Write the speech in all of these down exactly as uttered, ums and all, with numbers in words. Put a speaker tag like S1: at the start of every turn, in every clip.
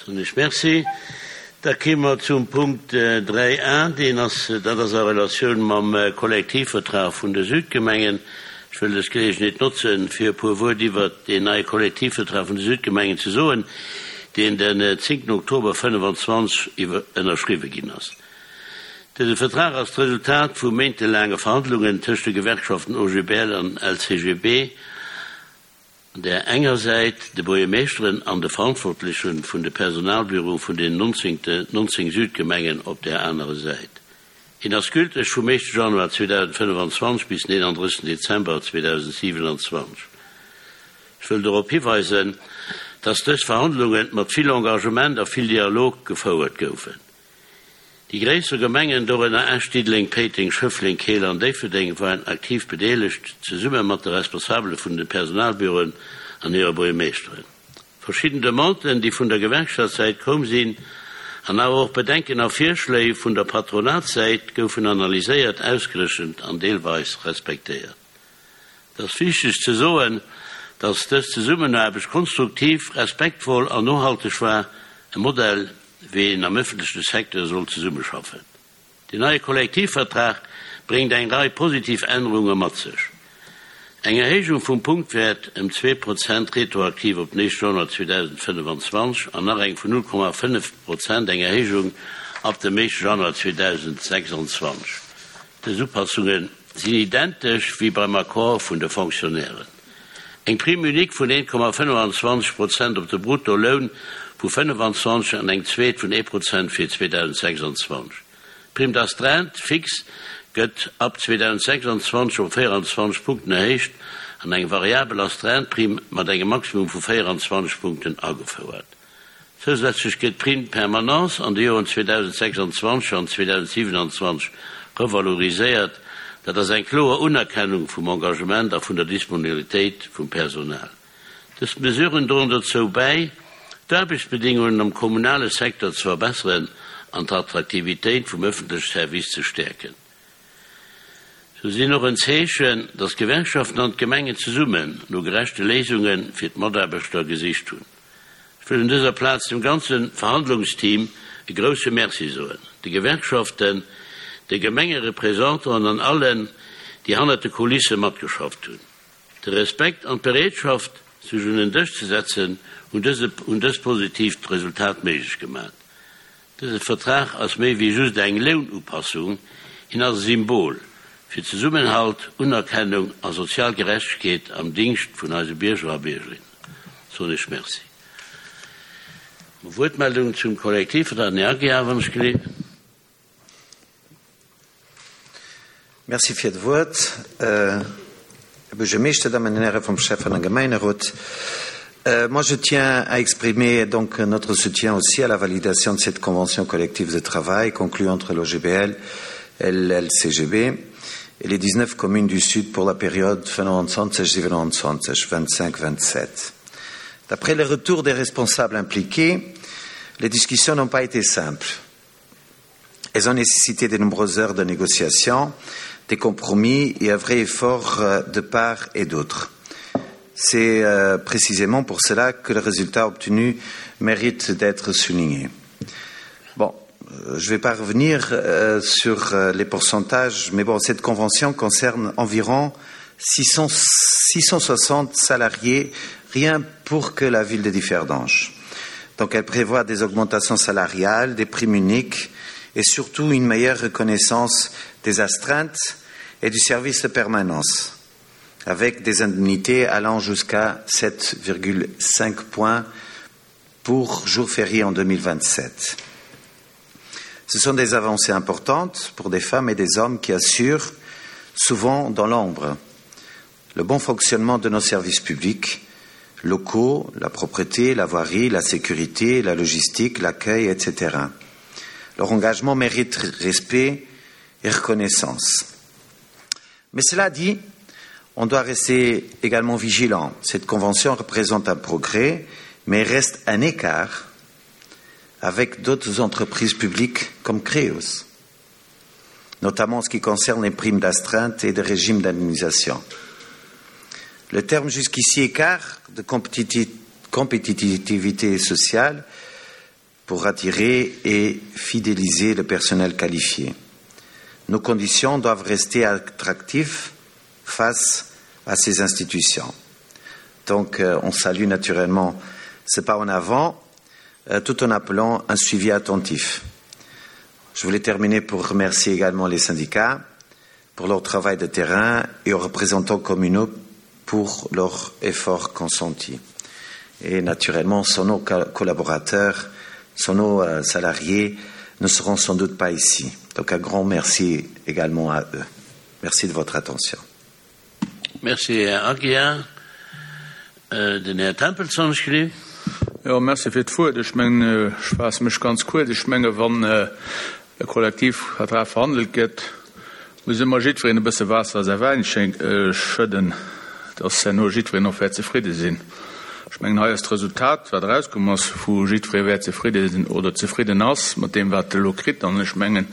S1: Soen ech Merci. Da kéime mer zum Punkt dräi a, deen ass, dat ass a Relatioun mam Kollektivvertrag vun de Südgemengen. Ech wëll dës Geleegenheet notzen, fir e puer Wuert iwwert deen neie Kollektivvertrag vun de Südgemengen ze soen, deen den zéngten Oktober fënnefenzwanzeg ënnerschriwwe ginn ass. Dëse Vertrag ass d'Resultat vu méintelaange Verhandlungen tëscht de Gewerkschaften O G B L an L C G B op där enger Säit, de Buergermeeschteren an de Verantwortleche vun de Personalbüroe vun den nonzéng Südgemengen op där anerer Säit. Hien ass gülteg vum éischte Januar zweedausendfënnefenzwanzeg bis den eenandrëssegsten Dezember zweedausendsiwenanzwanzeg. Ech wëll dorop hiweisen, dass dës Verhandlunge mat vill Engagement a vill Dialog gefouert goufen. Déi gréisser Gemengen, dorënner Esch, Diddeleng, Péiteng, Schëffleng, Keel an Déifferdeng, waren aktiv bedeelegt, zesumme mat de Responsabele vun de Personalbüroen an hire Buergermeeschteren. Verschidden Demanden, déi vun der Gewerkschaftssäit komm sinn, an awer och Bedenken a Virschléi vun der Patronatssäit goufen analyséiert, ausgerechent an deelweis respektéiert. Et ass wichteg ze soen, dass dës Zesummenaarbecht konstruktiv, respektvoll an nohalteg war, e Modell, wéi een am ëffentleche Secteur soll zesummeschaffen. Den neie Kollektivvertrag bréngt eng Rei positiv Ännerunge mat sech. Eng Erhéijung vum Punktwäert ëm zwee Prozent retroaktiv op den éischte Januar zweedausendfënnefenzwanzeg an nach eng vun null Komma fënnef Prozent eng Erhéijung ab dem éischte Januar zweedausendsechsanzwanzeg. Dës Upassunge sinn identesch wéi beim Accord vun de Fonctionnairen. Eng Prime unique vun een Komma fënnefenzwanzeg Prozent op de Bruttoloun vu fënnefenzwanzeg an eng zweet vun ee Prozent fir zweedausendsechsanzwanzeg. D'Prime d'astreinte fixe gëtt ab zweedausendsechsanzwanzeg op véierenzwanzeg Punkten erhéicht an eng variabel Astreinte-Prime mat engem Maximum vu véierenzwanzeg Punkten agefouert. Zousätzlech gëtt d'Prime de permanence an de Joren zweedausendsechsanzwanzeg an zweedausendsiewenanzwanzeg revaloriséiert. Dat ass eng kloer Unerkennung vum Engagement a vun der Disponibilitéit vum Personal. Dës Mesuren droen dozou bäi, d'Aarbechtsbedingungen am kommunale Secteur ze verbesseren an d'Attraktivitéit vum ëffentleche Service ze stäerken. Se sinn och en Zeechen, dass d'Gewerkschaften an d'Gemengen zesummen no gerechte Léisunge fir d'Mataarbechter gesicht hunn. Ech wëll un dëser Plaz dem ganze Verhandlungsteam e grousse Merci soen, de Gewerkschaften, de Gemengereprésentanten an allen, déi hannert de Kulisse matgeschafft hunn. De Respekt an d'Bereetschaft, sech un en Dësch ze setzen, hunn dëse hunn dëst positiivt Resultat méiglech gemaach. Dëse Vertrag ass méi wéi just eng Lounupassung, hien ass e Symbol fir Zesummenhalt, Unerkennung a sozial Gerechtegkeet am Dingscht vun eise Bierger a Biergerinnen. Soen ech Merci. Wuertmeldung zum Kollektivvertrag, den Här Aguiar, wann ech geleet.
S2: Merci fir d'Wuert, Här Buergermeeschter, Dammen an Häre vum Schäffen- a Gemengerot. Moi, je tiens à exprimer donc notre soutien aussi à la validation de cette convention collective de travail conclue entre l'O G B L et l'L C G B et les dix-neuf communes du Sud pour la période vingt-cinq vingt-sept. D'après les retours des responsables impliqués, les discussions n'ont pas été simples. Elles ont nécessité de nombreuses heures de négociations, des compromis et un vrai effort euh, de part et d'autre. C'est euh, précisément pour cela que le résultat obtenu mérite d'être souligné. Bon, euh, je ne vais pas revenir euh, sur euh, les pourcentages, mais bon, cette convention concerne environ six cents, six cent soixante salariés, rien pour que la ville de Differdange. Donc elle prévoit des augmentations salariales, des primes uniques et surtout une meilleure reconnaissance des astreintes et du service de permanence, avec des indemnités allant jusqu'à sept virgule cinq points pour jour férié en deux mille vingt-sept. Ce sont des avancées importantes pour des femmes et des hommes qui assurent, souvent dans l'ombre, le bon fonctionnement de nos services publics locaux, la propreté, la voirie, la sécurité, la logistique, l'accueil, et cetera. Leur engagement mérite respect et reconnaissance. Mais cela dit, on doit rester également vigilant. Cette convention représente un progrès, mais reste un écart avec d'autres entreprises publiques comme Creos, notamment en ce qui concerne les primes d'astreinte et de régimes d'indemnisation. Le terme jusqu'ici écart de compétitivité sociale pour attirer et fidéliser le personnel qualifié. Nos conditions doivent rester attractives face à ces institutions. Donc euh, on salue naturellement ce pas en avant euh, tout en appelant un suivi attentif. Je voulais terminer pour remercier également les syndicats pour leur travail de terrain et aux représentants communaux pour leur effort consenti. Et naturellement, sans nos collaborateurs, sans nos euh, salariés, ne seront sans doute pas ici. Donc un grand merci également à eux. Merci de votre attention.
S1: Merci, Här Aguiar. Äh, den Här Tempels geschriwwen.
S3: Jo, merci fir d'Wuert. Ech mengen, ech faasse mech ganz kuerz. Ech menge wann äh, e Kollektivvertrag verhandelt gëtt, muss ëmmer jiddwereen e bësse Waasser a säi Wäin äh, schëdden, dass herno jiddwereen och wäert zefridde sinn. Ech mengen hei ass d'Resultat, wat erauskomm ass, wou jiddweree wäert zefridde sinn oder zefridden ass mat deem wat e lo kritt an ech mengen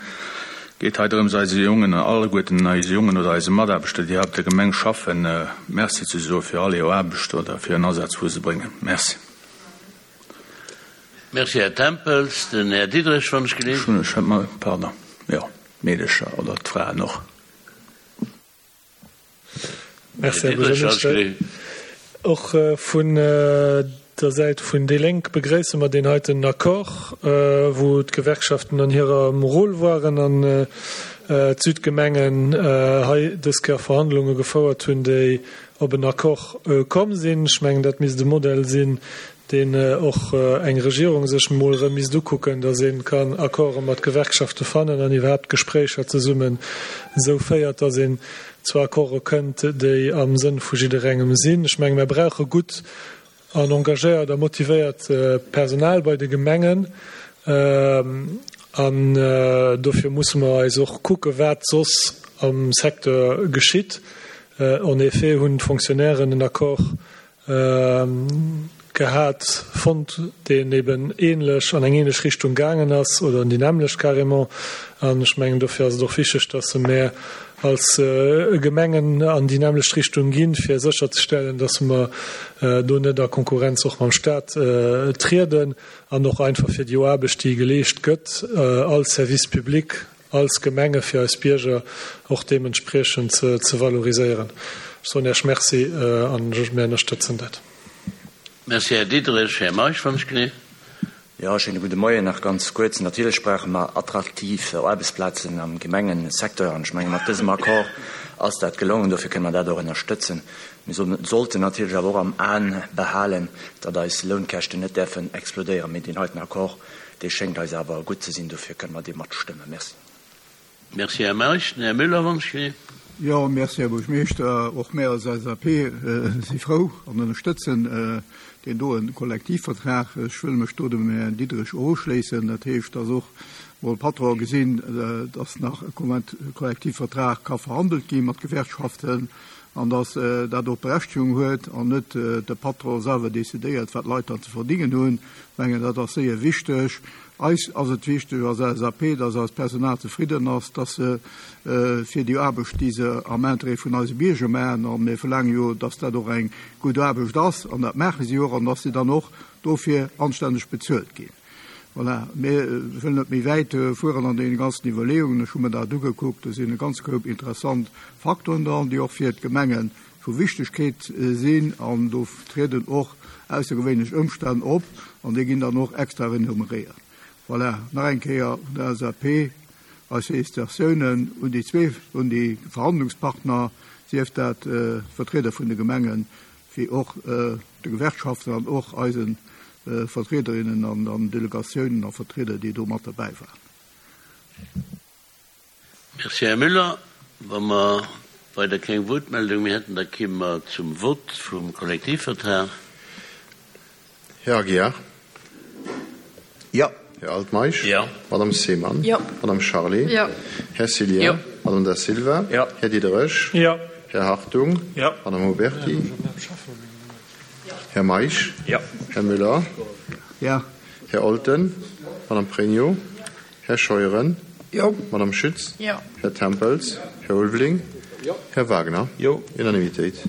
S3: geet hei drëms eise Jongen an alleguerten eise Jongen oder eise Mataarbechter, déi op der Gemeng schaffen, äh, Merci ze soe fir all hir Aarbecht oder fir den Asaz wou se bréngen. Merci.
S1: Merci, Här Tempels. Den Här Diderich wann ech
S3: geleeën. Schon, ech mal, pardon. Ja, Meedercher oder d'Fraen och.
S4: Merci, Här Buergermeeschter. Och äh, vun äh, der Säit vun déi Lénk begréisse mer deen heiten Accord, äh, wou d'Gewerkschaften an hirem Rôle waren an äh, d'Südgemengen äh, hei dës Kéier Verhandlunge gefouert hunn, déi op en Accord äh, komm sinn. Ech mengen, dat misst de Modell sinn, deen äh, och äh, eng Regierung sech mol erëm misst ukucken, dass ee kann Accorde mat Gewerkschafte fannen an iwwerhaapt Gespréicher zesummen sou féiert, dass een zu Accorde kënnt, déi am Sënn vu jidderengem sinn. Ech menge mir brauche gutt an engagéiert a motivéiert äh, Personal bei de Gemengen. Ähm, an äh, dofir musse mer eis och kucke wat soss am Secteur geschitt. Äh, en effet hunn d'Fonctionnairen en Accord äh, gehat fonnt, deen eben änlech an eng änlech Richtung gaangen ass oder an déi nämmlecht carrément. An ech mengen dofir ass et och wichteg, dass mer als äh, Gemengen an déi nämmlecht Richtung ginn, fir sécherzestellen, dass mer äh, do net a Konkurrenz och mam Staat äh, trieden an och einfach fir déi Aarbecht, déi geleescht gëtt äh, als Service public als Gemenge fir eis Bierger och deementspriechend ze, ze valoriséieren. Ech soen Iech Merci äh, an mir ënnerstëtzen dat.
S1: Merci, Här Diderich. Här Meisch wann ech geleeën.
S5: Ja, schéine gudde Moien nach ganz kuerz. Natierlech brauche mer attraktiv Aarbechtsplazen am Gemengesecteur an ech menge mat dësem Accord ass dat gelongen, dofir kënne mer dat och ënnerstëtzen. Mir sollten natierlech awer och am Aen behalen, datt eis Lounkäschten net däerfen explodéieren. Mee deen heiten Accord, dee schéngt eis awer gutt ze sinn, dofir kënne mer dee matstëmmen. Merci.
S1: Merci, Här Meisch. Den Här Müller wann ech geleeën.
S6: Jo, merci, Här Buergermeeschter. Och mir als LSAP äh, si frou an ënnerstëtzen äh, deen doen Kollektivvertrag. Ech wëll mech do dem Här Diderich uschléissen. Dat heescht, dass och mol Patron gesinn, äh, dass nach e Kollektivvertrag ka verhandelt gi mat Gewerkschaften an dass äh, dat och Berechtegung huet an net äh, de Patron selwer decidéiert, wat d'Leit dann ze verdéngen hunn. Mengen dat ass séier wichteg. Eis ass et wichteg als LSAP, dass eist Personal zefridden ass, dass se äh, fir déi Aarbecht, déi se am Interêt vun eise Bierger maachen, an mir verlaange jo, dass dat och eng gutt Aarbecht ass an dat maache si och an dass se dann och dofir anstänneg bezuelt ginn. Voilà. Mir wëllen net méi wäit fueren an de ganzen Iwwerleeungen, ech hu mir dat ugekuckt, do sinn e ganze Koup interessant Faktoren dran, déi och fir d'Gemenge vu Wichtegkeet sinn an do trieden och aussergewéinlech Ëmstänn op an déi ginn dann och extra renumeréiert. Voilà. Nach eng Kéier vun der LSAP eis Félicitatiounen un déi zwee un déi Verhandlungspartner, sief dat äh, Vertrieder vun de Gemengen, wéi och äh, de Gewerkschaften an och eisen äh, Vertriederinnen an, an Delegatiounen a Vertrieder, déi do mat derbäi waren.
S1: Merci, Här Müller. Wa mer weider keng Wuertmeldung méi hätten, da komme mer zum Vott vum Kollektivvertrag.
S7: Här Aguiar.
S2: Ja.
S7: Här Altmeisch.
S1: Ja.
S7: Madame Seemann.
S8: Ja.
S7: Madame Charlé.
S8: Ja.
S7: Här Cilien.
S1: Ja.
S7: Madame Da Silva.
S3: Ja.
S7: Här Diderich.
S4: Ja.
S7: Här Hartung.
S4: Ja.
S7: Madame Huberty. Här Meisch.
S3: Ja.
S7: Här Müller.
S6: Ja.
S7: Här Olten. Madame Pregno. Här Scheuren.
S8: Jo.
S7: Madame Schütz.
S8: Ja.
S7: Här Tempels. Här Ulveling.
S3: Ja.
S7: Här Wagner.
S3: Jo.
S7: Unanimitéit.